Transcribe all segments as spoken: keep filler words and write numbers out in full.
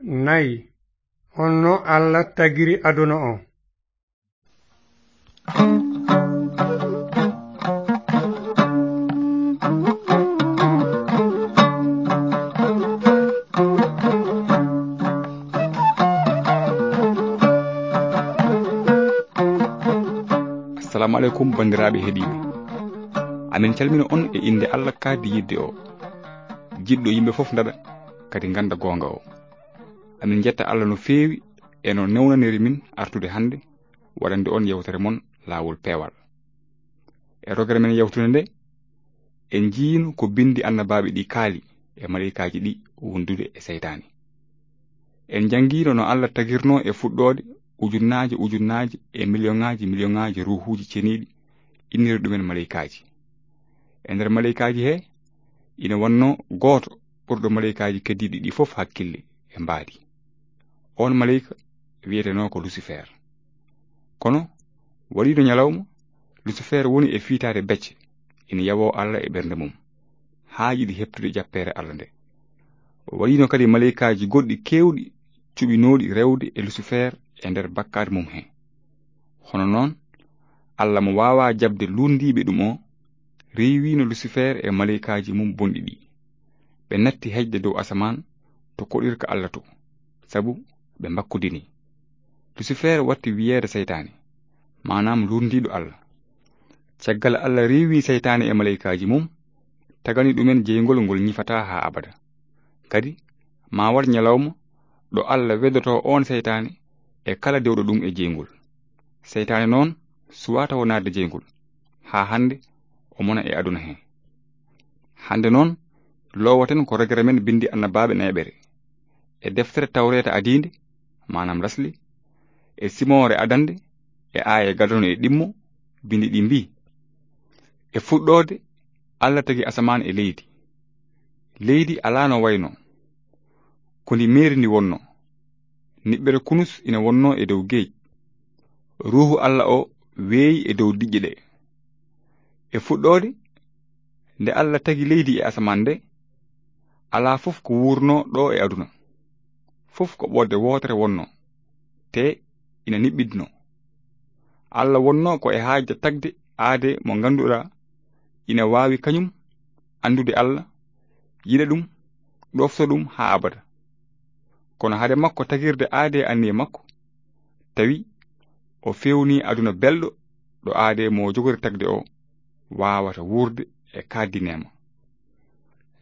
Nayi, honno Alla tagiri aduna on? Assalamu aleykum, banndiraaɓe heɗiiɓe. Amin calmina on e innde Alla kaaddi yiɗde o, jiɗɗo yimɓe fof ndaɗa, kadi ngannda goonga o. Amin njetta Alla no feewi e no newnaniri min artude hannde waɗande on yewtere mon Laawol Peewal. E rogere men yewtude nde, en njiino ko binndi annabaaɓe ɗi kaali e maleykaaji ɗi wondude e seytaane. En njanngiino no Alla tagirnoo e fuɗɗoode ujunnaaje ujunnaaje e miliyoŋaaji miliyoŋaaji ruuhuuji ceniiɗi, inniri ɗumen maleykaaji. E nder maleykaaji he, ina wonnoo gooto ɓurɗo maleykaaji keddiiɗi ɗi fof hakkille e mbaadi. Oon maleyka wiyetenoo ko Lusifer. Kono, waɗiino ñalawma, Lusifer woni e fiitaade becce, ina yawoo Alla e ɓernde mum, haa yiɗi heɓtude jappeere Alla nde. Waɗiino kadi maleykaaji goɗɗi keewɗi cuɓinooɗi rewde e Lusifer e nder bakkaat mum he. Hono noon, Alla mo waawaa jaɓde luulndiiɓe ɗum o, riiwiino Lusifer e maleykaaji mum bonɗi ɗi. Ɓe natti hejde dow asamaan to koɗirka Alla to, sabu ɓe mbakkudinii. Lusifer watti wiyeede seytaane, maanaam luulndiiɗo Alla. Caggal Alla riiwi seytaane e maleykaaji mum, tagani ɗumen jeyngol ngol ñifataa haa abada. Kadi, maa waɗ ñalawma ɗo Alla weddotoo oon seytaane e kala dewɗo ɗum e jeyngol. Seytaane noon suwaa tawo naatde jeyngol, haa hannde o mona e aduna he. Hannde noon, loowaten ko rogere men binndi annabaaɓe nayaɓere, e deftere Tawreeta adiinde, maanaam Lasli, e simoore adannde, e aaye gadano e ɗimmo, binndi ɗi mbii, e fuɗɗoode, Alla tagi asamaan e leydi. Leydi alaa no wayno, ko ndi meeri ndi wonno. Niɓɓere kunus ina wonno e dow geej. Ruuhu Alla o weeyi e dow diƴƴe ɗe. E fuɗɗoode, nde Alla tagi leydi e asamaan nde, alaa fof ko wuurno ɗo e aduna. Fof ko ɓoodde wootere wonno, te ina niɓɓidno. Alla wonno ko e haajde tagde aade mo ngannduɗaa ina waawi kañum anndude Alla, yiɗa ɗum, ɗofta ɗum haa abada. Kono hade makko tagirde aade anniya makko, tawi o feewni aduna belɗo ɗo aade mo jogori tagde o waawata wuurde e kaaddineema.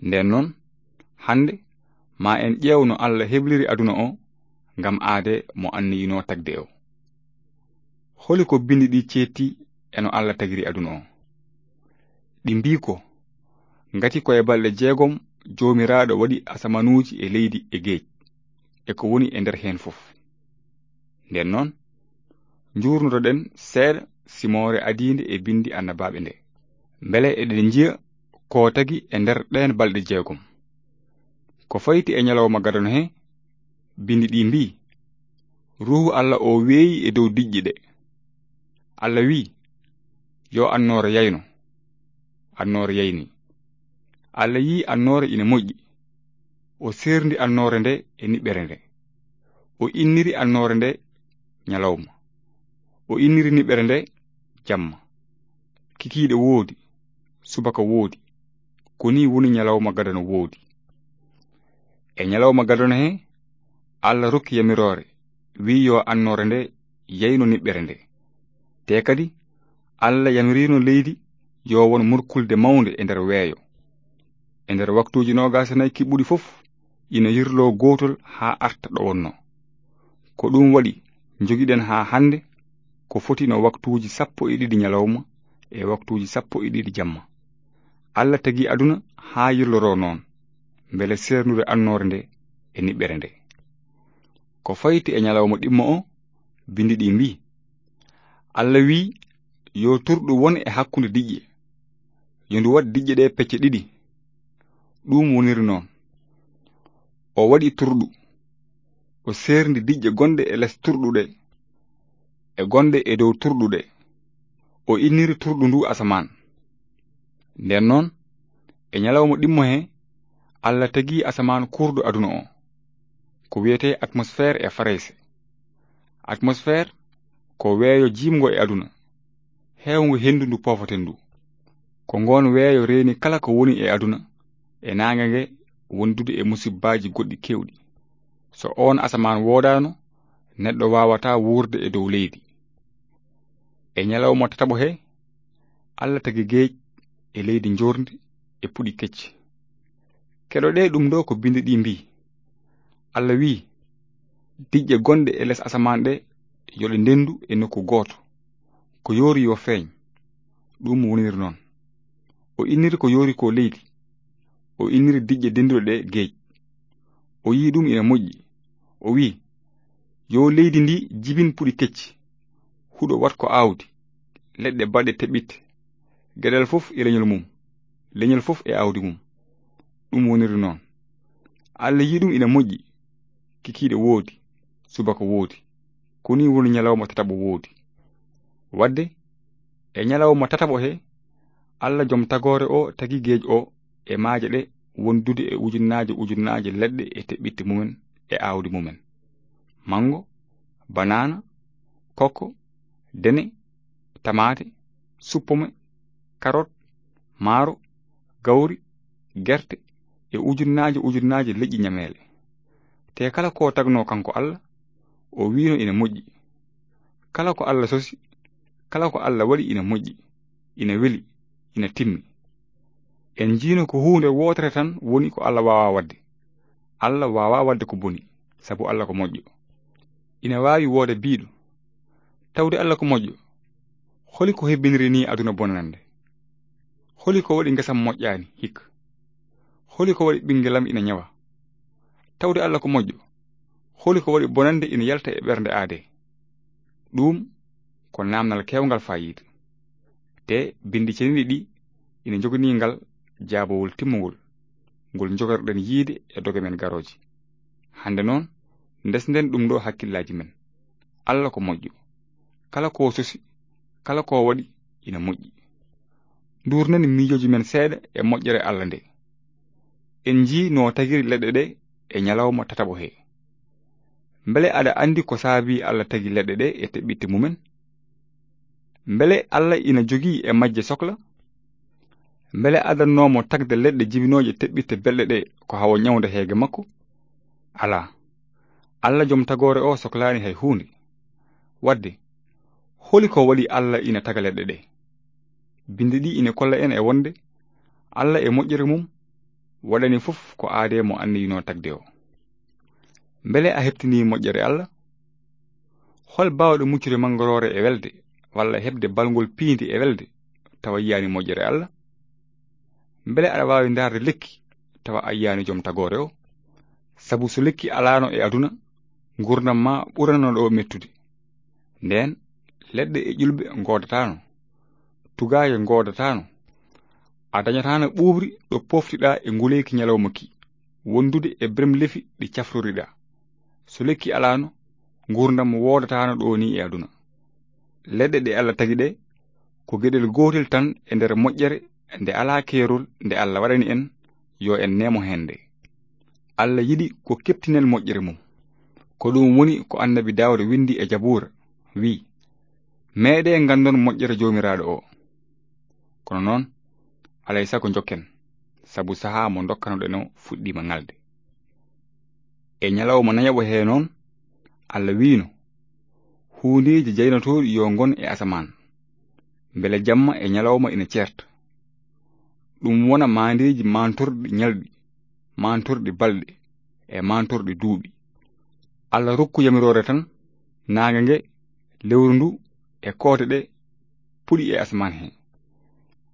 Nden noon, hannde, ma en ƴeew no Alla hebliri aduna o ngam aade mo anniyinoo tagde o. Holi ko binndi ɗi ceetti e no Alla tagiri aduna o? Ɗi mbii ko, ngati ko e balɗe jeegom Joomiraaɗo waɗi asamanuuji e leydi e geej, e ko woni e nder heen fof. Nden noon, njuurnotoɗen seeɗa simoore adiinde e binndi annabaaɓe nde. Mbele eɗen njiya ko tagi e nder ɗeen balɗe jeegom. Ko fayti e ñalawma gadano he, binndi ɗi mbii, Ruuhu Alla o weeyi e dow diƴƴe ɗe. Alla wii, yo annoore yayno. Annoore yayni. Alla yii annoore ina moƴƴi. O seerndi annoore nde e niɓɓere nde. O inniri annoore nde ñalawma. O inniri niɓɓere nde jamma. Kikiiɗe woodi, subaka woodi. Ko nii woni ñalawma gadano woodi. E ñalawma gadano he, Alla rokki yamiroore, wii yo annoore nde yayno niɓɓere nde. Te kadi, Alla yamiriino leydi yo won murkulde mawnde e nder weeyo. E nder waktuuji noogaas e nayi kiɓɓuɗi fof, ina yirloo gootol haa arta ɗo wonno. Ko ɗum waɗi, njogiɗen haa hannde ko foti no waktuuji sappo e ɗiɗi ñalawma e waktuuji sappo e ɗiɗi jamma. Alla tagi aduna haa yirloroo noon, mbele seernude annoore nde e niɓɓere nde. Ko fayti e ñalawma ɗimmo o, binndi ɗi mbii, Alla wii, yo turɗu won e hakkunde diƴƴe. Yo ndu waɗ diƴƴe ɗe pecce ɗiɗi. Ɗum woniri noon. O waɗi turɗu. O seerndi diƴƴe gonɗe e les turɗu ɗe, e gonɗe e dow turɗu ɗe. O inniri turɗu ndu asamaan. Nden noon, e ñalawma ɗimmo he, Alla tagi asamaan kuurɗo aduna o. ko wiyetee atmosfeer e Farayse. Atmosfeer ko weeyo jiimngo e aduna, heewngo henndu ndu poofaten ndu. Ko ngoon weeyo reeni kala ko woni e aduna e naange nge wondude e musibbaaji goɗɗi keewɗi. So oon asamaan woodaano, neɗɗo waawataa wuurde e dow leydi. E ñalawma tataɓo he, Alla tagi geej e leydi njoorndi e puɗi kecci. Keɗoɗee ɗum ɗo ko binndi ɗi mbii. Alla wii, "Diƴƴe gonɗe e les asamaan ɗe, yo ɗe ndendu e nokku gooto. Ko yoori yo feeñ." Ɗum woniri noon. O inniri ko yoori ko leydi. O inniri diƴƴe denduɗe ɗe geej. O yii ɗum ina moƴƴi. O wii, "Yo leydi ndi jibin puɗi kecci. Huɗo wat ko aawdi. Leɗɗe baɗe teɓɓitte. Geɗal fof e leñol mum. Leñol fof e aawdi mum." Ɗum woniri noon. Alla yii ɗum ina moƴƴi. Kikiiɗe woodi. Subaka woodi. Ko nii woni ñalawma tataɓo woodi. Wadde, e ñalawma tataɓo he, Alla jom tagoore o tagi geej o e maaje ɗe wondude e ujunnaaje ujunnaaje leɗɗe e teɓɓitte mumen e aawdi mumen. Manngo, banaana, kokko, dene, tamaate, suppome, karot, maaro, gawri, gerte e ujunnaaje ujunnaaje leƴƴi ñameele. Te kala ko tagnoo kanko Alla, o wiino ina moƴƴi. Kala ko Alla sosi, kala ko Alla waɗi ina moƴƴi, ina weli, ina timmi. En njiino ko huunde wootere tan woni ko Alla waawaa waɗde. Alla waawaa waɗde ko boni, sabu Alla ko moƴƴo. Ina waawi wooda biiɗo, "Tawde Alla ko moƴƴo, holi ko hebbiniri ni aduna bonannde? Holi ko waɗi ngesam moƴƴaani hikka? Holi ko waɗi ɓinngelam ina ñawa? Tawde Alla ko moƴƴo, holi ko waɗi bonannde ina yalta e ɓernde aadee?" Ɗum ko naamnal keewngal faayiida. Te binndi ceniiɗi ɗi ina njoganii ngal jaabawol timmungol, ngol njogotoɗen yiyde e doge men garooje. Hannde noon, ndesnden ɗum ɗo hakkillaaji men. Alla ko moƴƴo. Kala ko sosi, kala ko waɗi, ina moƴƴi. Nduurnen miijooji men seeɗa e moƴƴere Alla nde. En njii no tagiri leɗɗe ɗe e ñalawma tataɓo he. Mbele aɗa anndi ko saabii Alla tagi leɗɗe ɗe e teɓɓitte mumen? Mbele Alla ina jogii e majje sokla? Mbele adannoomo tagde leɗɗe jibinooje teɓɓitte belɗe ɗe ko hawo ñawnde heege makko? Alaa. Alla jom tagoore o soklaani hay huunde. Wadde, holi ko waɗi Alla ina taga leɗɗe ɗe? Binndi ɗi ina kolla en e wonde Alla e moƴƴere mum waɗani fof ko aadee mo anniyinoo tagde o. Mbele a heɓtinii moƴƴere Alla? Hol baawɗo muccude manngoroore e welde, walla heɓde balngol piindi e welde, tawa yiyaani moƴƴere Alla? Mbele aɗa waawi ndaarde lekki, tawa a yiyaani jom tagoore o? Sabu so lekki alaano e aduna, nguurndam ma ɓurano ɗo mettude. Ndeen, leɗɗe e ƴulɓe ngoodataano, tugaaje ngoodataano, a dañataano ɓuuɓri ɗo pooftiɗaa e nguleeki ñalawma ki, wondude e berem lefi ɗi cafroriɗaa. So lekki alaano, nguurndam woodataano ɗo ni e aduna. Leɗɗe ɗe Alla tagi ɗe, ko geɗel gootel tan e nder moƴƴere nde alaa keerol nde Alla waɗani en, yo en neemo heen nde. Alla yiɗi ko keɓtinen moƴƴere mum. Ko ɗum woni ko annabi Daawda winndi e Jabuura, wii, "Meeɗee nganndon moƴƴere Joomiraaɗo o." Kono noon, alay sago njokken, sabu sahaa mo ndokkanoɗen o fuɗɗiima ŋalde. E ñalawma nayaɓo hee noon, Alla wiino, "Huundeeji jaynotooɗi yo ngon e asamaan, mbele jamma e ñalawma ina ceerta. Ɗum wona maandeeji maantorɗi ñalɗi, maantorɗi balɗe, e maantorɗi duuɓi." Alla rokku yamiroore tan, naange nge, lewru ndu, e koote ɗe puɗi e asamaan he.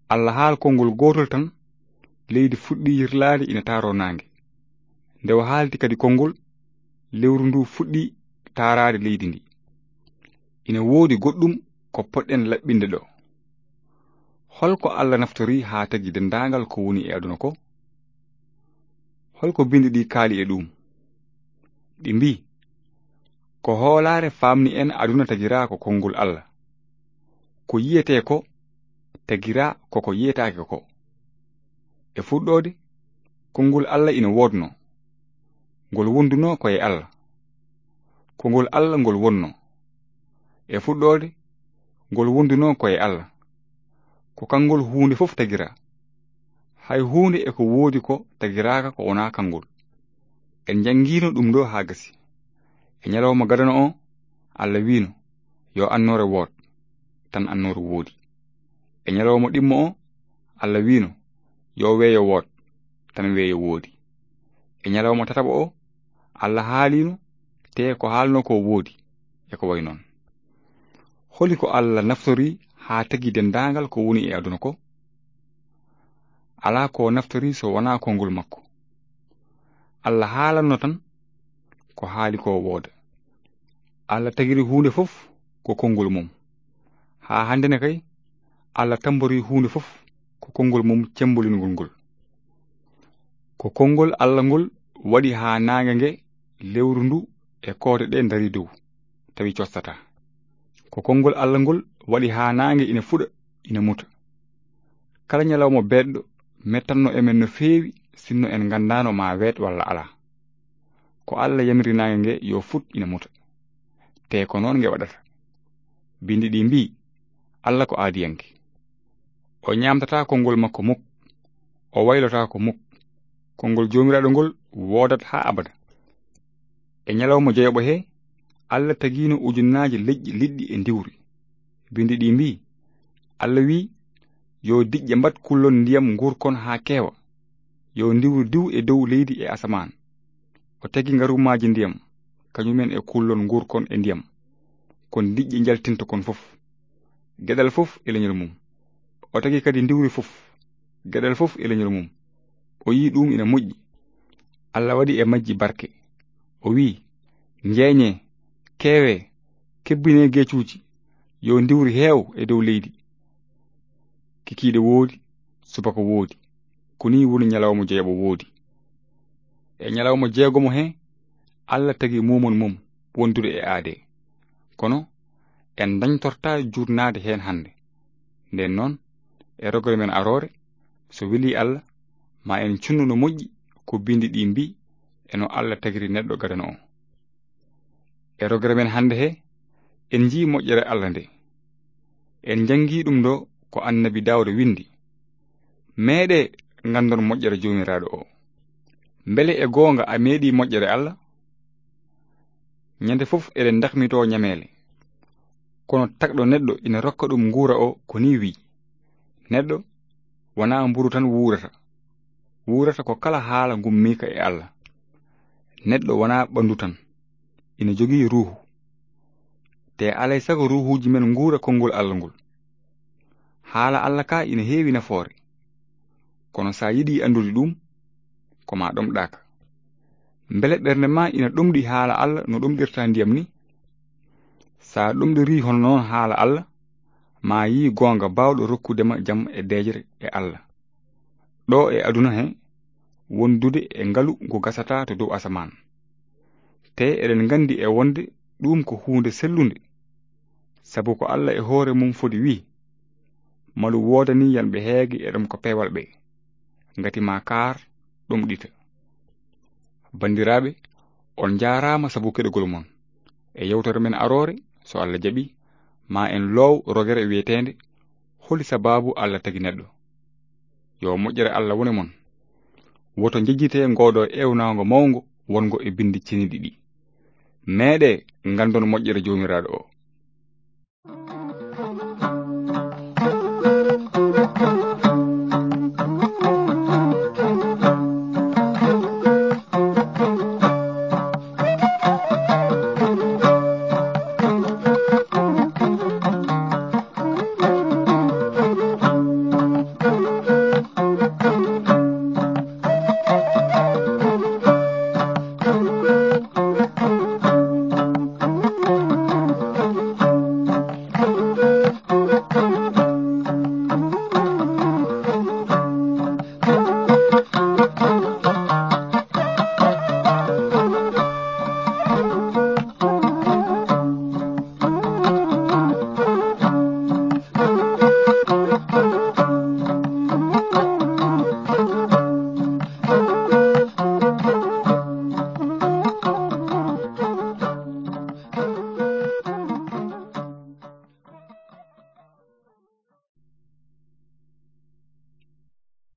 Alla haal konngol gootol tan, leydi fuɗɗi yirlaade ina taaroo naange. Nde o haalti kadi konngol, lewru ndu fuɗɗi taaraade leydi ndi. Ina woodi goɗɗum ko potɗen laɓɓinde ɗo. Hol ko Alla naftori haa tagi denndaangal ko woni e aduna ko? Hol ko binndi ɗi kaali e ɗum? Ɗi mbii, "Ko hoolaare faamni en aduna tagiraa ko konngol Alla. Ko yiyetee ko tagiraa ko ko yiyetaake ko." E fuɗɗoode, konngol Alla ina woodnoo. ngol wondunoo ko e Alla. Ko ngol Alla ngol wonnoo. E fuɗɗoode, ngol wondunoo ko e Alla. Ko kanngol huunde fof tagiraa. Hay huunde e ko woodi ko tagiraaka ko wonaa kanngol. En njanngiino ɗum ɗo haa gasi. E ñalawma gadano o, Alla wiino, "Yo annoore wood," tan annoore woodi. E ñalawma ɗimmo o, Alla wiino, "Yo weeyo wood," tan weeyo woodi. E ñalawma tataɓo o, Alla haaliino, te ko haalnoo ko woodi, e ko wayi noon. Holi ko Alla naftori haa tagi denndaangal ko woni e aduna ko? Alaa ko naftori so wonaa konngol makko. Alla haalanno tan ko haali ko wooda. Alla tagiri huunde fof ko konngol mum. Haa hannde ne kay, Alla tammbori huunde fof ko konngol mum cemmbolingol ngol. Ko konngol Alla ngol waɗi haa naange nge, lewru ndu e koode ɗe ndarii dow, tawi costataa. Ko konngol Alla ngol waɗi haa naange ina fuɗa, ina muta. Kala ñalawma beeɗɗo mettanno e men no feewi sinno en nganndaano ma weet walla alaa. Ko Alla yamiri naange nge yo fuɗ ina muta. Te ko noon nge waɗata. Binndi ɗi mbii, "Alla ko aadiyanke. O ñaamtataa konngol makko muk. O waylotaako muk. Konngol Joomiraaɗo ngol woodat haa abada." E ñalawma jeyoɓo he, Alla tagiino ujunnaaje leƴƴi liɗɗi e ndiwri. Binndi ɗi mbii, Alla wii, "Yo diƴƴe mbaɗ kullon ndiyam nguurkon haa keewa. Yo ndiwri diw e dow leydi e asamaan." O tagi ngarumaaji ndiyam, kañumen e kullon nguurkon e ndiyam. Kon diƴƴe njaltinta kon fof. Geɗal fof e leñol mum. O tagi kadi ndiwri fof. Geɗal fof e leñol mum. O yii ɗum ina moƴƴi. Alla waɗi e majji barke. O wii, "Njeeñee, keewee, kebbinee geecuuji, yo ndiwri heew e dow leydi." Kikiiɗe woodi, subaka woodi. Ko nii woni ñalawma jeeɓo woodi. E ñalawma jeegomo he, Alla tagi muumon mum wondude e aadee. Kono en ndañtortaa juutnaade heen hannde. Ndeen noon, e rogere men aroore, so welii Alla, ma en cunnu no moƴƴi ko binndi ɗi mbii e no Alla tagiri neɗɗo gadano o. E rogere men hannde he, en njii moƴƴere Alla nde. En njanngi ɗum ɗo ko annabi Daawda winndi, "Meeɗe nganndon moƴƴere Joomiraaɗo o." Mbele e goonga a meeɗi moƴƴere Alla? Ñande fof eɗen ndakmitoo ñameele. Kono tagɗo neɗɗo ina rokka ɗum nguura o ko nii wii, "Neɗɗo wonaa mburu tan wuurata. Wuurata ko kala haala ngummiika e Alla. Neɗɗo wonaa ɓanndu tan. Ina jogii ruuhu. Te alay sago ruuhuuji men nguura konngol Alla ngol." Haala Alla ka ina heewi nafoore. Kono sa yiɗi anndude ɗum, ko ma ɗomɗaaka. Mbele ɓernde ma ina ɗomɗi haala Alla no ɗomɗirta ndiyam ni? Sa ɗomɗiri hono noon haala Alla, ma yii goonga baawɗo rokkude ma jam e deeƴre e Alla. Ɗo e aduna he, wondude e ngalu ngu gasata to dow asamaan. Te eɗen nganndi e wonde ɗum ko huunde sellunde. Sabu ko Alla e hoore mum fodi wii, "Malu woodani yanɓe heege e ɗom ko peewal ɓe. Ngati ma kaar ɗomɗita." Banndiraaɓe, on njaaraama sabu keɗogol mon. E yewtere men aroore, so Alla jaɓi, ma en loow rogere wiyeteende, "Holi sabaabu Alla tagi neɗɗo?" Yo moƴƴere Alla wone mon. Woto njejjitee ngooɗo ewnaango mawngo wongo e binndi ceniiɗi ɗi. Meeɗe nganndon moƴƴere Joomiraaɗo o.